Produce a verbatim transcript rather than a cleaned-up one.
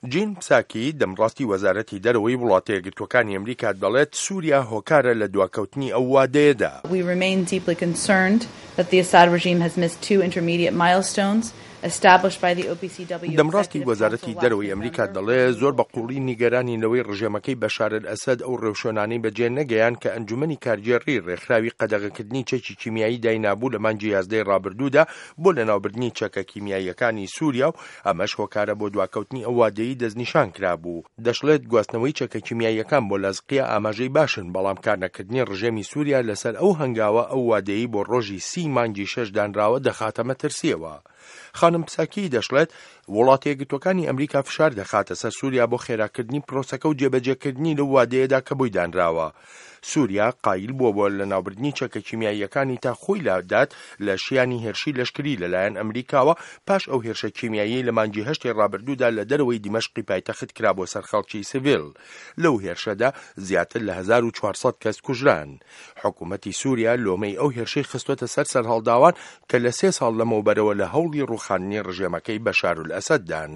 جین پساکی، دەمڕاستی وەزارەتی دەرەوەی وڵاتە یەکگرتووەکانی ئەمریکا دەڵێت سوریا هۆکارە لە دواکەوتنی ئەو وادەیەدا. We remain deeply concerned that the Assad regime has missed two intermediate milestones established by the OPCW دەمڕاستی وەزارەتی دەرەوەی ئەمریکا دەڵێ زۆر بە قووڵی نیگەرانین لەوەی ڕژێمەکەی بەشار ئەسەد ئەو ڕێوشوێنانەی بەجێ نەگەیان کە ئەنجومەنی کارگێڕی ڕێکخراوی قەدەغەکردنی چەکی کیمیایی داینابوو لە مانگی یازدەی ڕابردوودا بۆ لەناوبردنی چەکە کیمیاییەکانی سووریا و ئەمەش هۆکارە بۆ دواکەوتنی ئەو وادەیەی دەستنیشان کرابوو. دەشڵێت گواستنەوەی چەکە کیمیاییەکان بۆ لازقیە ئاماژەی باشن، بەڵام کارنەکردنی ڕژێمی سووریا لەسەر ئەو هەنگاوە ئەو وادەیەی بۆ ڕۆژی سی مانگی شەش دانراوە دەخاتە مەترسیەوە. خانم پساکی دەشڵێت وڵاتە یەکگرتووەکانی ئەمریکا فشار دەخاتە سەر سووریا بۆ خێراکردنی پرۆسەکە و جێبەجێکردنی لەو وادەیەدا کە بۆی دانراوە. سووریا قایل بووە بۆ لەناوبردنی چەکە کیمیاییەکانی تا خۆی لادات لە شیانی هێرشی لەشکری لەلایەن ئەمریکاوە پاش ئەو هێرشە کیمیاییەی لە مانگی هەشتی ڕابردوودا لە دەرەوەی دیمەشقی پایتەخت کرا بۆ سەر خەڵکی سڤیل. لەو هێرشەدا زیاتر لە هەزار و چوار سەد کەس کوژران. حکوومەتی سووریا لۆمەی ئەو هێرشەی خستووەتە سەر سەرهەڵداوان کە لە سێ ساڵ لەمەوبەرەوە لە هەوڵی ڕووخاندنی ڕژێمەکەی بەشارولئەسەددان.